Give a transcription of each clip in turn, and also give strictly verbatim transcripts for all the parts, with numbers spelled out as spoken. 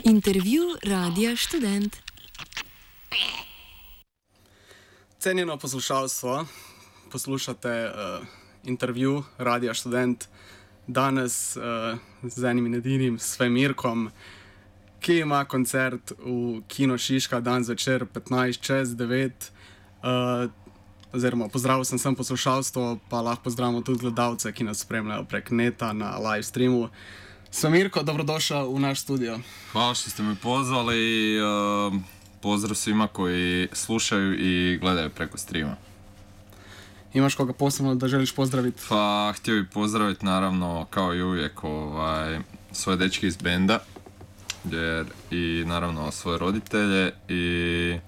Intervju Radia Študent. Cenjeno poslušalstvo, poslušate uh, intervju Radia Študent danes uh, z enim in edinim Svemirkom, ki ima koncert v Kino Šiška dan zvečer petnajst čez devet. Uh, oziroma pozdravil sem sem poslušalstvo, pa lahko pozdravimo tudi gledalce, ki nas spremljajo prek neta na live streamu. Svemirko, dobrodošao u naš studio. Hvala što ste me pozvali. Uh, pozdrav svima koji slušaju i gledaju preko streama. Imaš koga posebno da želiš pozdraviti? Pa htio bih pozdraviti naravno kao i uvijek ovaj, svoje dečke iz benda jer, i naravno svoje roditelje i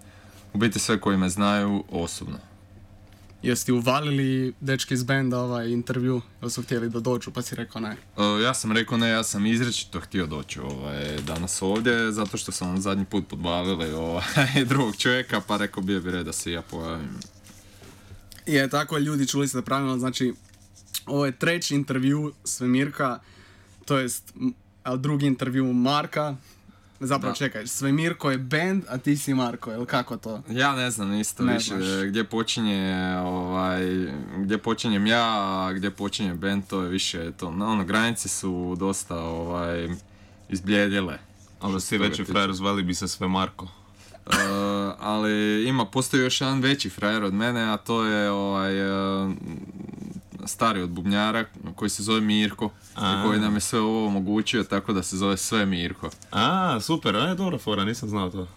u biti sve koji me znaju osobno. Jesi ti uvalili dečki iz benda ovaj intervju ili su htjeli da dođu pa si rekao ne? Uh, ja sam rekao ne, ja sam izričito htio doći ovaj, danas ovdje zato što sam vam zadnji put podbavili ovaj, drugog čovjeka pa rekao bio bi red da se ja pojavim. Je, tako ljudi, čuli ste pravilno, znači ovo je treći intervju Svemirka, to jest drugi intervju Marka. Zapravo da. Čekaj, Svemirko je band, a ti si Marko, ili kako to? Ja ne znam isto ne više znaš. Gdje počinje, ovaj, gdje počinjem ja, a gdje počinje band, to je više to, no, ono, granice su dosta ovaj, izbljedjele. Ali si veći frajer, zvali bi se sve Marko. Uh, ali ima, postoji još jedan veći frajer od mene, a to je ovaj, uh, stari od bubnjara koji se zove Mirko a. i koji nam je sve ovo omogućio tako da se zove sve Mirko. A, super, a je dobra fora, nisam znao to.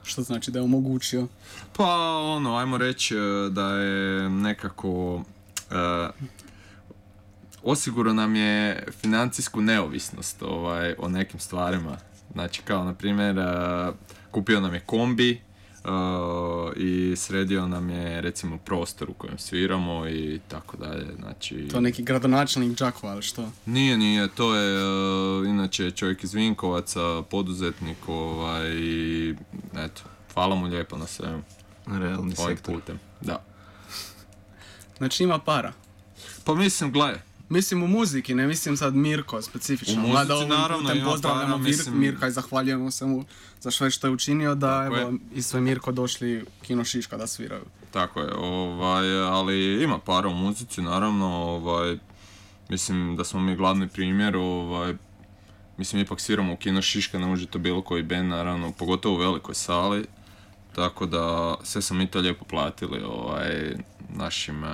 Što znači da je omogućio? Pa ono, ajmo reći da je nekako uh, osigurao nam je financijsku neovisnost ovaj, o nekim stvarima. Znači kao na primjer uh, kupio nam je kombi uh, i sredio nam je recimo prostor u kojem sviramo i tako dalje. Znači, to je neki gradonačelnik Đakova, ali što? Nije, nije, to je uh, inače čovjek iz Vinkovaca, poduzetnik ovaj, i eto, hvala mu lijepo na svemu. Realni ovaj sektor. Putem, da. Znači ima para? Pa mislim, gledaj. Mislim u muziki, ne mislim sad Mirko specifično. U muzici naravno ima pozdravljamo para, mislim... Mirka i zahvaljujemo se mu za sve što je učinio da tako evo je. I Svemirko došli u Kino Šiška da sviraju. Tako je, ovaj, ali ima para u muzici naravno, ovaj, mislim da smo mi glavni primjer, ovaj, mislim ipak sviramo u Kino Šiška, ne može to bilo koji band naravno, pogotovo u velikoj sali, tako da sve smo mi to lijepo platili ovaj, našim...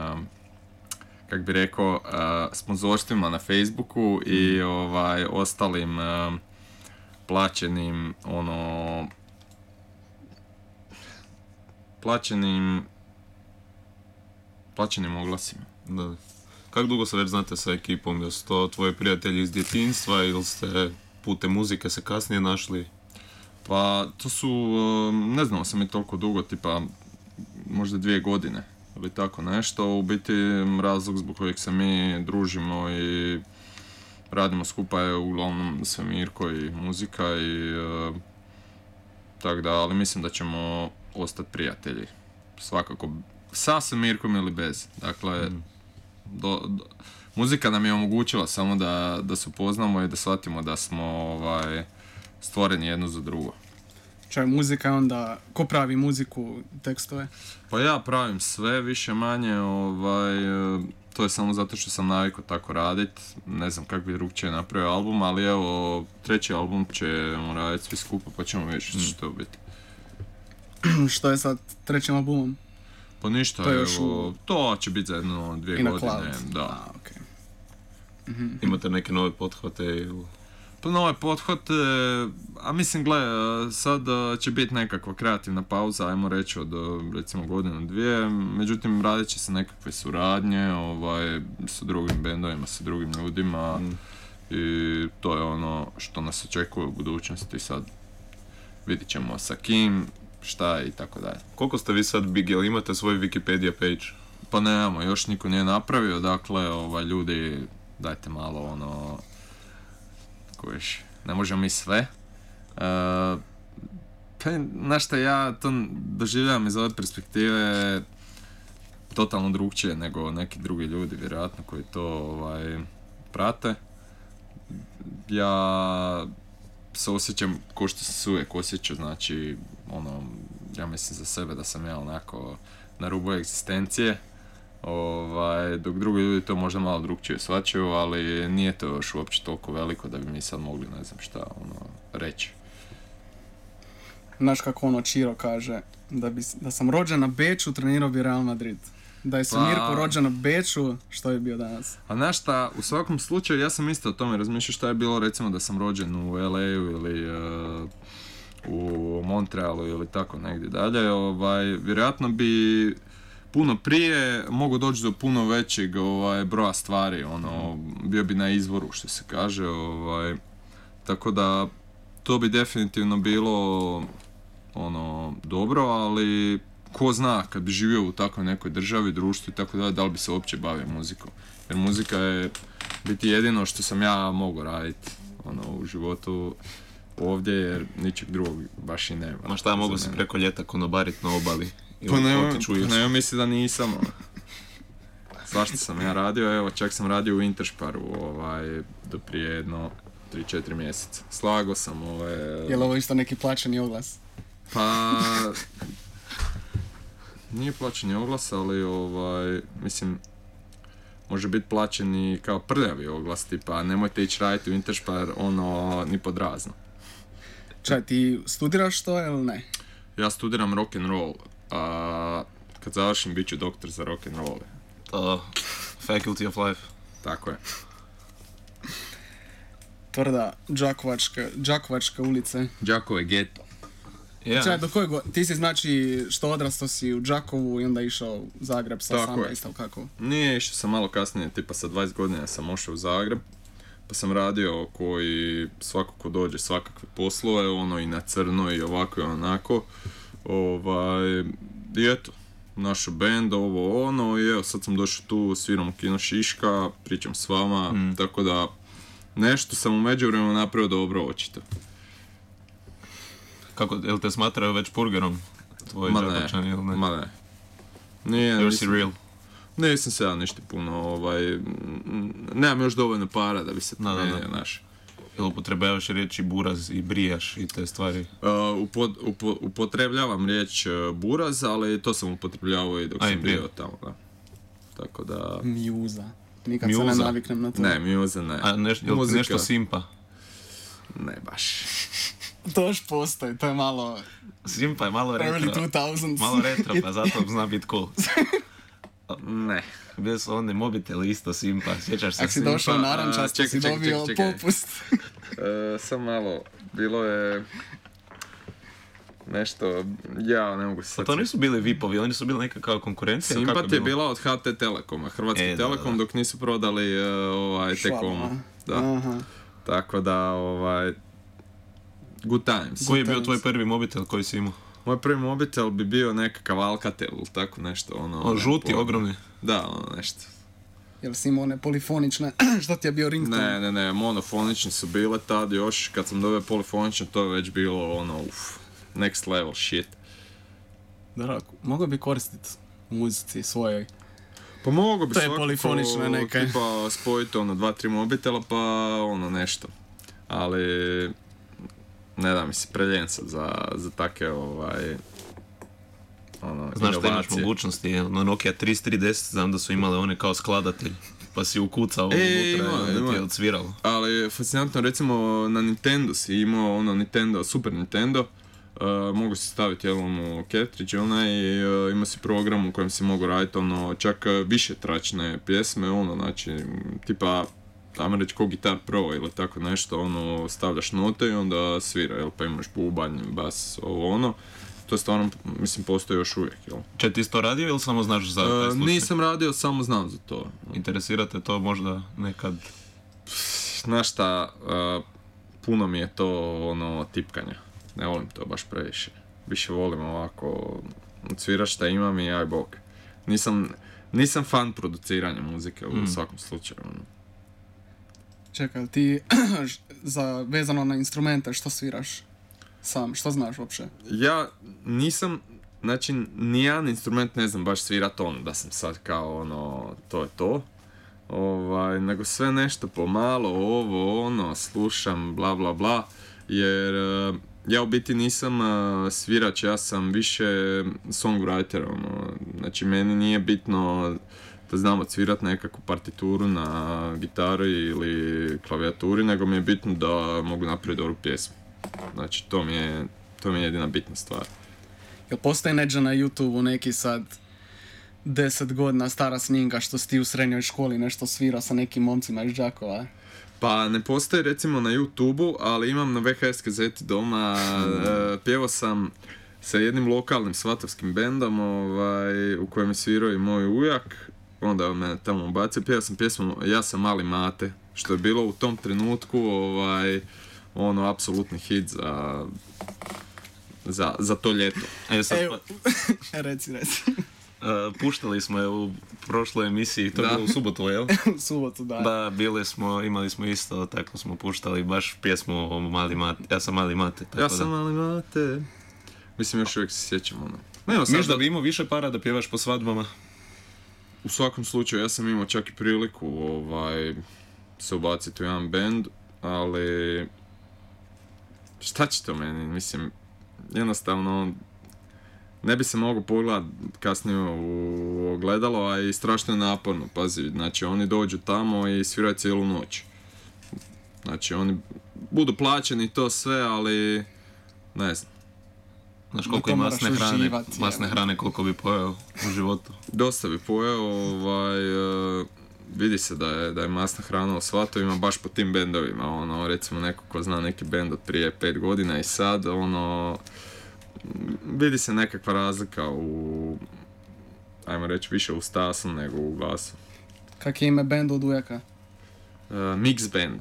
kak bi rekao, uh, sponzorstvima na Facebooku i ovaj, ostalim uh, plaćenim, ono, plaćenim, plaćenim oglasima. Da. Kako dugo se već znate sa ekipom? Jesu to tvoji prijatelji iz djetinjstva ili ste putem muzike se kasnije našli? Pa, to su, uh, ne znamo se mi toliko dugo, tipa, možda dvije godine. Ili tako nešto, u biti razlog zbog kojeg se mi družimo i radimo skupa je uglavnom Svemirko i muzika i uh, tako da, ali mislim da ćemo ostati prijatelji, svakako sa Svemirkom ili bez, dakle mm. do, do, muzika nam je omogućila samo da, da se upoznamo i da shvatimo da smo ovaj, stvoreni jedno za drugo. Čaj, muzika onda, ko pravi muziku, tekstove? Pa ja pravim sve, više manje, ovaj, to je samo zato što sam navikao tako radit, ne znam kako bi drugčije napravio album, ali evo, treći album ćemo raditi svi skupa pa ćemo vidjeti što će to biti. Što je sad trećim albumom? Pa ništa, to evo, u... to će biti za jedno dvije godine. Cloud. Da. A, okay. mm-hmm. Imate neke nove pothvate ili... Pa nove pothod, a mislim, gle, sad će biti nekakva kreativna pauza, ajmo reći od recimo godinu, dvije, međutim radit će se nekakve suradnje, ovaj, sa drugim bendovima, sa drugim ljudima mm. i to je ono što nas očekuje u budućnosti, sad vidit ćemo sa kim, šta i tako dalje. Koliko ste vi sad big, jel imate svoj Wikipedia page? Pa nemamo, još niko nije napravio, dakle, ovaj, ljudi, dajte malo ono... Kojiš, ne možemo mi sve. Uh, pa, znaš šta, ja to doživljavam iz ove perspektive totalno drugčije nego neki drugi ljudi, vjerojatno, koji to ovaj, prate. Ja se osjećam ko što sam se uvijek osjećao, znači, ono, ja mislim za sebe da sam ja onako na rubu egzistencije, ovaj, dok drugi ljudi to možda malo drugčije shvaćaju, ali nije to još uopće toliko veliko da bi mi sad mogli, ne znam šta, ono, reći. Znaš kako ono Čiro kaže, da, bi, da sam rođen na Beču, trenirao bi Real Madrid. Da je se Pa- Mirko rođen na Beču, što je bio danas? A znaš šta, u svakom slučaju ja sam isto o tome razmišljao šta je bilo recimo da sam rođen u L A-u ili uh, u Montrealu ili tako negdje dalje, ovaj, vjerojatno bi puno prije mogu doći do puno većeg ovaj, broja stvari, ono, bio bi na izvoru što se kaže, ovaj, tako da to bi definitivno bilo ono, dobro, ali ko zna kad bi živio u takvoj nekoj državi, društvu i tako dalje, da li bi se uopće bavio muzikom. Jer muzika je biti jedino što sam ja mogao raditi ono, u životu ovdje, jer ničeg drugog baš i nema. Ma šta, mogu za si mene. preko ljeta konobarit na obali Pa ili ne, otići u Irsku. ne, mislim da nisam. ono. Svašta sam ja radio, evo čak sam radio u Intersparu ovaj, do prije jedno tri četiri mjeseca. Slago sam ovaj... Je li ovo isto neki plaćeni oglas? Pa... Nije plaćeni oglas, ali ovaj, mislim, može biti plaćen i kao prljavi oglas, tipa nemojte ići raditi u Interspar, ono, ni pod razno. Čaj, ti studiraš to ili ne? Ja studiram rock'n'roll, a kad završim bit ću doktor za rock'n'roll. To, Faculty of Life. Tako je. Tvrda Đakovačka, Đakovačka ulice. Đakovo je geto. Ja, Čaj, do koje go... Ti si znači što odrastao si u Đakovu i onda išao u Zagreb sa Tako je. osamnaest, ili kako? Nije, išao sam malo kasnije, tipa sa dvadeset godina sam ošao u Zagreb, pa sam radio koji svako ko dođe svakakve poslove, ono i na crno i ovako i onako. Ovaj, i eto, našu band, ovo ono, i evo sad sam došao tu, sviram u Kino Šiška, pričam s vama, Mm. tako da nešto sam u međuvremenu napravio dobro očito. kako, jel te smatraju već purgerom? Tvoji Ma ne, Đakovčani ili ne? ma ne. Nije, You're nisam- si real. Nisam se ja ništa puno, ovaj, m, nemam još dovoljno para da bi se Da, da, da. promijenio, znaš. Jel upotrebljavaš riječi buraz i brijaš i te stvari? Uh, upo, upo, upotrebljavam riječ uh, buraz, ali to sam upotrebljavao i dok A, i sam prije. bio tamo, da. Tako da... Mjuza. Nikad se ne Mjuza? naviknem na to. Ne, mjuza ne. A neš, jel ti Muzika, nešto simpa? ne baš. To još postoji, to je malo Simpa je malo early retro. two thousands. Malo retro, pa zato zna bit cool. Ne. Bili su oni mobiteli isto simpa, sjećaš se Ako si simpa? došao a, narančasto, čekaj, si čekaj, dobio čekaj, čekaj. popust. Uh, sam malo, bilo je... Nešto, ja ne mogu se Pa sad... to nisu bili vipovi, oni su bili neka kao konkurencija. ili kako Simpat je bilo? bila od H T Telekoma, Hrvatski E, da, Telekom, da, da. dok nisu prodali uh, ovaj, T-Komu. Da. Aha. Tako da, ovaj... Good times. Koji je bio tvoj prvi mobitel koji si imao? Moj prvi mobitel bi bio nekakav Alcatel ili tako nešto, ono... O, ne, žuti, po- ogromni. Da, ono nešto. Jel si imao one polifonične, što ti je bio ringtone? Ne, ne, ne, monofonični su bile tad još, kad sam dobio polifonične, to je već bilo, ono, uff, next level shit. Da, mogao bi koristiti u muzici svojoj. Pa mogu bi To je svakako, polifonično neka. tipa, spojiti, ono, dva, tri mobitela, pa, ono, nešto. Ali, ne da mi se preljen sad za, za take, ovaj, ono, Znaš što imaš inovacije. mogućnosti, no Nokia tristo trideset, znam da su imale one kao skladatelj, pa si ukucao E, unutra ima, i onda ti ima. je odsviralo. Ali fascinantno, recimo na Nintendo si imao ono Nintendo, Super Nintendo, uh, mogu si staviti jel, ono cartridge onaj i uh, ima si program u kojem si mogu raditi ono čak uh, više tračne pjesme, ono znači tipa ajmo reći ko Guitar Pro ili tako nešto, ono stavljaš note i onda svira, jel, pa imaš bubanj, bas, ovo ono. To stvarno, mislim, postoji još uvijek, jel? Če ti isto radio ili samo znaš za taj Uh, slučaj? nisam radio, samo znam za to. Interesira te to možda nekad? Znaš šta, uh, puno mi je to ono tipkanje. Ne volim to baš previše. Više volim ovako odsvirat šta imam i aj bog. Nisam, nisam fan produciranja muzike u Mm. svakom slučaju. ono. Čekaj, ti za, vezano na instrumente, što sviraš sam, što znaš uopće? Ja nisam, znači nijedan instrument ne znam baš svirat ono da sam sad kao ono, to je to. Ovaj, nego sve nešto pomalo, ovo, ono, slušam, bla bla bla. jer uh, ja u biti nisam uh, svirač, ja sam više songwriter, ono, znači meni nije bitno da znam odsvirat nekakvu partituru na gitari ili klavijaturi, nego mi je bitno da mogu napraviti dobru pjesmu. Znači to mi je, to mi je jedina bitna stvar. Jel postoji neđe na YouTube-u neki sad deset godina stara snimka što si ti u srednjoj školi nešto svirao sa nekim momcima iz Đakova? Pa ne postoji recimo na YouTube-u, ali imam na ve ha es kazeti doma, uh, pjevao sam sa jednim lokalnim svatovskim bendom ovaj, u kojem je svirao i moj ujak, onda je me tamo ubacio, pjevao sam pjesmu Ja sam mali mate, što je bilo u tom trenutku ovaj, ono, apsolutni hit za, za, za to ljeto. E, sad, Evo, reci, reci. Uh, puštali smo je u prošloj emisiji, to je Da. bilo u subotu, jel? U subotu, da. Da, bili smo, imali smo isto, tako smo puštali baš pjesmu o mali mate, ja sam mali mate. Tako Ja sam da. mali mate. Mislim, još uvijek se sjećam ono. Nema sad Misliš da da- bi imao više para da pjevaš po svadbama? U svakom slučaju, ja sam imao čak i priliku ovaj, se ubaciti u jedan band, ali šta će to meni, mislim, jednostavno ne bi se mogao pogledat kasnije u ogledalo, a i strašno je naporno, pazi, znači oni dođu tamo i sviraju cijelu noć. Znači oni budu plaćeni i to sve, ali ne znam. Znaš Da koliko to je moraš masne hrane, uživat, masne jel? hrane koliko bi pojeo u životu. Dosta bi pojeo, ovaj, e, vidi se da je, da je masna hrana u svatovima baš po tim bendovima, ono, recimo neko ko zna neki bend od prije pet godina i sad, ono, vidi se nekakva razlika u, ajmo reći, više u stasu nego u glasu. Kak je ime benda od ujaka? E, Mix Band,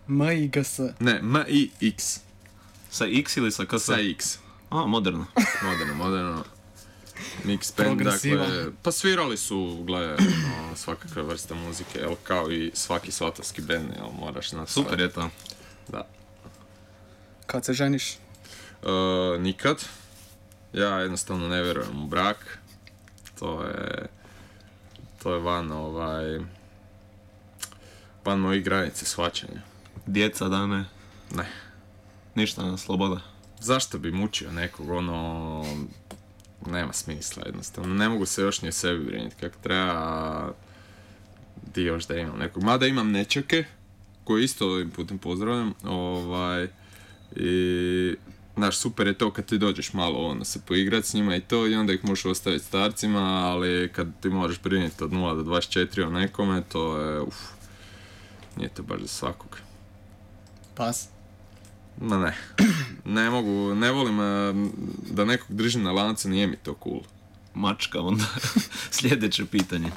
M I G S. ne, M I X, Sa X ili sa K? sa X, A, moderno. moderno, moderno. Mix Band, Progresiva. dakle, pa svirali su, gle, no, svakakve vrste muzike, jel, kao i svaki svatovski band, jel, moraš znati. Super je to. Da. Kad se ženiš? Uh, nikad. Ja jednostavno ne vjerujem u brak. To je... To je van ovaj... van mojih granice shvaćanja. Djeca, dane, Ne. ništa, sloboda. Zašto bi mučio nekog, ono... Nema smisla jednostavno. Ne mogu se još ni o sebi brinuti kako treba. Di još da imam nekog. Mada imam nečake, koje isto ovim putem pozdravljam. Ovaj... I... Znaš, super je to kad ti dođeš malo ono, se poigrat s njima i to i onda ih možeš ostaviti starcima, ali kad ti moraš brinuti od nula do dvadeset četiri o nekome, to je, uf, nije to baš za svakog. Pas. Ma ne, ne mogu, ne volim eh, da nekog držim na lancu, nije mi to cool. Mačka onda. Sljedeće pitanje.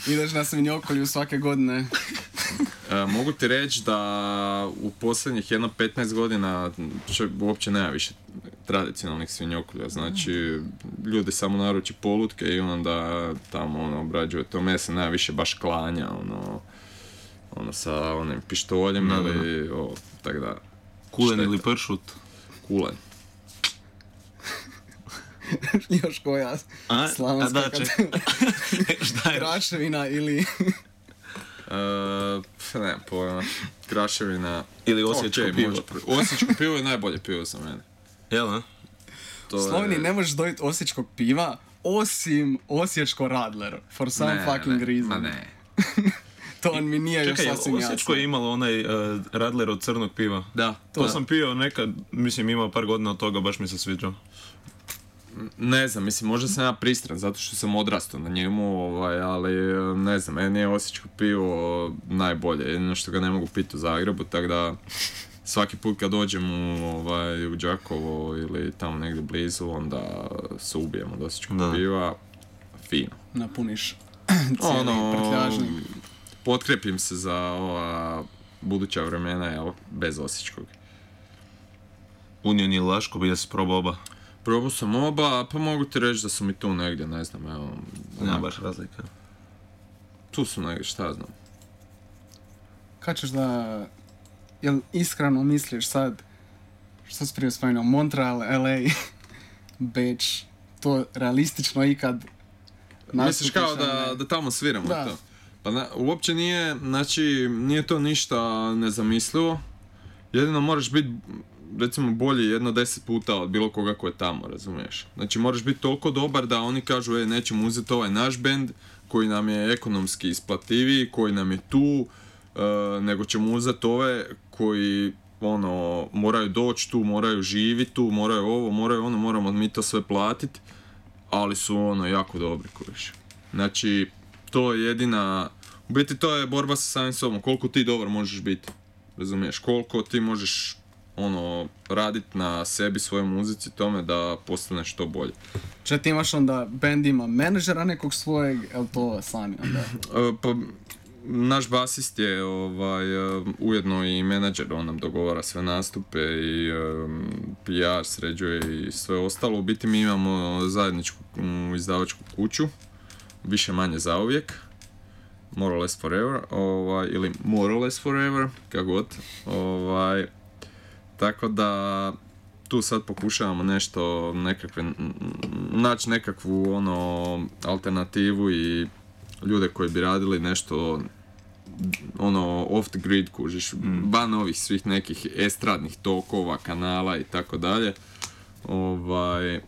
Ideš na svinjokolju svake godine. E, mogu ti reći da u posljednjih jedno petnaest godina čo, uopće nema više tradicionalnih svinjokolja, znači ljudi samo naruči polutke i onda tamo ono, obrađuje to meso, nema više baš klanja, ono, ono sa onim pištoljem Da, da, ili o, tak da, Kulen šteta. ili pršut? Kulen. Još koja A, slavonska a da, kad- čekaj. Šta je? Kraševina ili... E, pf, nemam pojma, kraševina. Ili osječko Okej, pivo. može pr- Osječko pivo je najbolje pivo za mene. Jel, a? To U Sloveniji je- ne možeš dobiti osječkog piva, osim osječko Radler. For some Ne, fucking ne, reason. ma ne. To mi nije još Čekaj, sasvim Osječko jasno. je imalo onaj uh, Radler od crnog piva. Da, To da. sam pio nekad, mislim imao par godina od toga, baš mi se sviđao. Ne znam, mislim, možda sam ja pristran zato što sam odrastao na njemu, ovaj, ali ne znam, meni je osječko pivo najbolje, jedino što ga ne mogu piti u Zagrebu, tako da svaki put kad dođem u, ovaj, u Đakovo ili tamo negdje blizu, onda se ubijem od osječkog Da. piva, fino. Napuniš cijeli Ono, prtljažnik. potkrepim se za ova buduća vremena, jel, bez osječkog. Union ili Laško, bi se probao oba. Probao sam oba, pa mogu ti reći da su mi tu negdje, ne znam, evo. Nema onak, baš razlika. Tu su negdje, šta znam. Kad ćeš da... Jel iskreno misliš sad... Što si prije spomenuo? Montreal, L A, Beč... To realistično ikad... Misliš kao nastupiš, a da, ne? da tamo sviramo Da. to? Pa na, uopće nije, znači, nije to ništa nezamislivo, jedino moraš biti, recimo, bolji jedno deset puta od bilo koga ko je tamo, razumiješ? Znači, moraš biti toliko dobar da oni kažu, e, nećemo uzeti ovaj naš bend, koji nam je ekonomski isplativiji, koji nam je tu, uh, nego ćemo uzeti ove koji, ono, moraju doći tu, moraju živjeti tu, moraju ovo, moraju ono, moramo mi to sve platiti, ali su, ono, jako dobri, kojiš. Znači, to je jedina, u biti to je borba sa samim sobom, koliko ti dobar možeš biti, razumiješ, koliko ti možeš, ono, raditi na sebi, svojoj muzici, tome da postaneš što bolje. Če ti imaš onda, band ima menadžera nekog svojeg, je to sami onda? Uh, pa, naš basist je ovaj, uh, ujedno i menadžer, on nam dogovara sve nastupe i um, P R sređuje i sve ostalo. U biti mi imamo zajedničku um, izdavačku kuću, više manje zauvijek, more or less forever, ovaj, ili more or less forever, kako god. Ovaj, tako da tu sad pokušavamo nešto, nekakve, naći nekakvu ono, alternativu i ljude koji bi radili nešto ono off the grid, kužiš, mm. van ovih svih nekih estradnih tokova, kanala i tako dalje. Ovaj,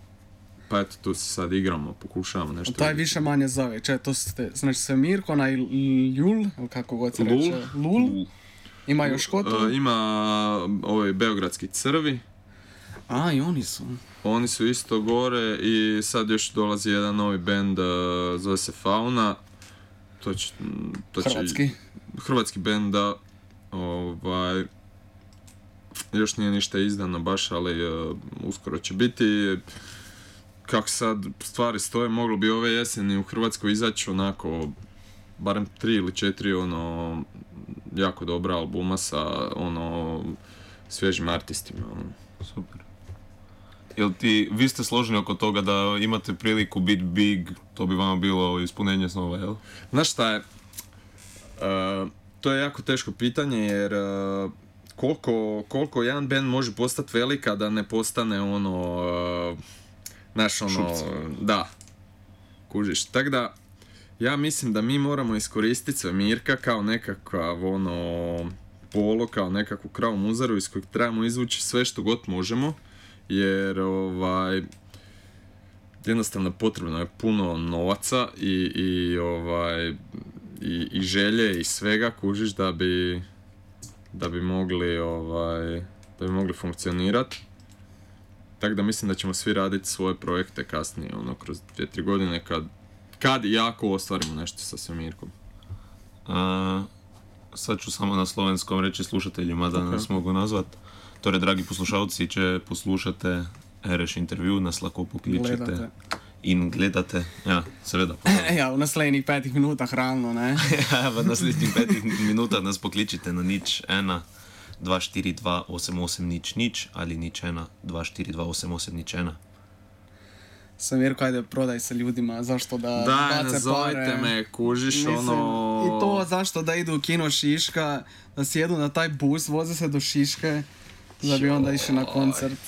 pa eto, tu se sad igramo, pokušavamo nešto. Taj vidjeti. Više manje zove, če, to ste, znači sve Mirko, onaj Ljul, ili kako god se Lul. reče, Lul. Lul. Ima još ko tu? Uh, ima ovaj Beogradski Crvi. A, i oni su. Oni su isto gore i sad još dolazi jedan novi band, uh, zove se Fauna. To će, to će, Hrvatski. Hrvatski band, da. Ovaj, još nije ništa izdano baš, ali uh, uskoro će biti. Kako sad stvari stoje, moglo bi ove jeseni u Hrvatskoj izaći onako, barem tri ili četiri ono, jako dobra albuma sa ono, svježim artistima. Ono. Super. Jel ti, vi ste složni oko toga da imate priliku biti big, to bi vama bilo ispunenje snova, jel? Znaš šta je, uh, to je jako teško pitanje jer uh, koliko, koliko jedan band može postati velika da ne postane ono, uh, znaš ono, Šupci. da, kužiš, tako da ja mislim da mi moramo iskoristiti Svemirka kao nekakav ono, polo, kao nekakvu kravu muzaru iz kojeg trebamo izvući sve što god možemo. Jer ovaj, jednostavno potrebno je puno novaca i, i, ovaj, i, i želje i svega, kužiš, da bi, da bi mogli, ovaj, da bi mogli funkcionirati. Tako da mislim da ćemo svi raditi svoje projekte kasnije, ono, kroz dvije, tri godine kad, kad i jako ostvarimo nešto sa Svemirkom. A, sad ću samo na slovenskom reći slušateljima da Okay. nas mogu nazvat. Torej, dragi poslušalci, če poslušate Ereš intervju, nas lahko pokličite Gledate. in gledate. Ja, seveda. Ja, v naslednjih petih minutah realno, ne? Ja, v naslednjih petih minutah nas pokličite na nič ena, dva štiri dva osem osem nič nič ali nič ena, dva štiri dva osem osem nič ena. Svemirko, ajde, prodaj se ljudima, zašto da Daj, bace nazovite pare. me, kužiš, Mislim, ono... I to zašto da idu u kino Šiška, da sjedu na taj bus, voze se do Šiške, da bi onda išli na koncert.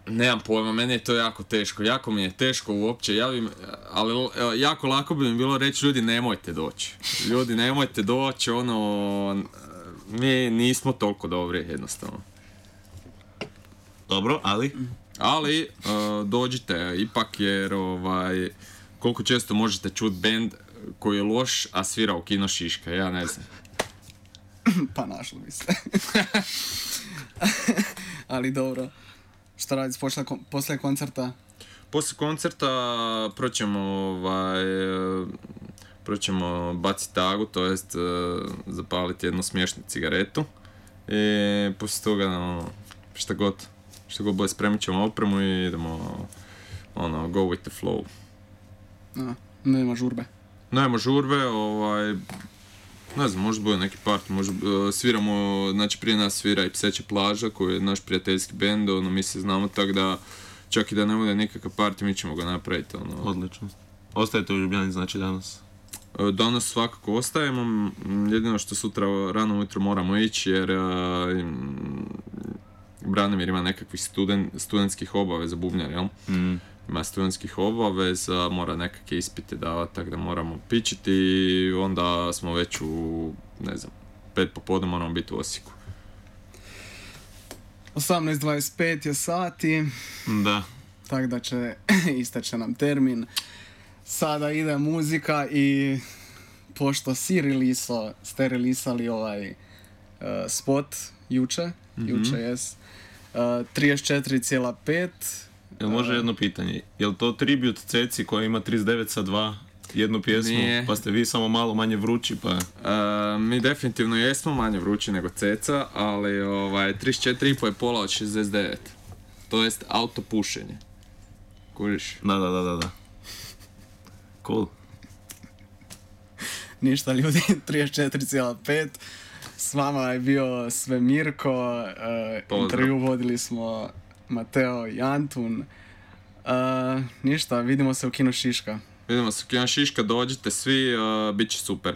Nemam pojma, meni je to jako teško, jako mi je teško uopće, ja bi, ali evo, jako lako bi mi bilo reći ljudi nemojte doći, ljudi nemojte doći, ono, mi nismo toliko dobri jednostavno. Dobro, ali? Ali uh, dođite ipak jer ovaj, koliko često možete čuti band koji je loš, a svira u kino Šiška, ja ne znam. Pa našli bi se. Ali dobro. Šta radiš poslije, poslije koncerta? Poslije koncerta proćemo, ovaj, proćemo baciti tagu, to jest uh, zapaliti jednu smiješnu cigaretu i poslije toga no, šta god, šta god bude spremit ćemo opremu i idemo ono, go with the flow. A, nema žurbe. Nema žurbe, ovaj, ne znam, možda bude neki part, možda uh, sviramo, znači prije nas svira i Pseća plaža koji je naš prijateljski bend, ono mi se znamo tako da čak i da ne bude nikakav part, mi ćemo ga napraviti. Ono. Odlično. Ostajete u Ljubljani znači danas? Uh, danas svakako ostajemo, m, jedino što sutra rano ujutro moramo ići jer uh, im, Branimir ima nekakvih studen, studentskih obaveza bubnjar, jel? Mm. ima studentskih obaveza, mora nekakve ispite davati, tako da moramo pičiti i onda smo već u, ne znam, pet popodne moramo biti u Osijeku. osamnaest dvadeset pet je sati, Da. tako da će isteče nam termin. Sada ide muzika i pošto si releasao, ste releasali ovaj uh, spot juče, mm-hmm. juče jes, uh, trideset četiri zarez pet. Jel može jedno pitanje? Jel to tribut Ceci koja ima trideset devet sa dva jednu pjesmu, Nije. pa ste vi samo malo manje vrući, pa... Uh, mi definitivno jesmo manje vrući nego Ceca, ali ovaj, trideset četiri i pol je pola od šezdeset devet. To jest autopušenje. Kuriš? Da, da, da, da, da. Cool. Ništa ljudi, trideset četiri zarez pet. S vama je bio Svemirko, uh, Pozdrav. intervju vodili smo Mateo i Antun. Uh, ništa, vidimo se u Kino Šiška. Vidimo se u Kino Šiška, dođite svi, uh, bit će super.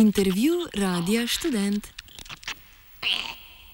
Intervju Radia Študent.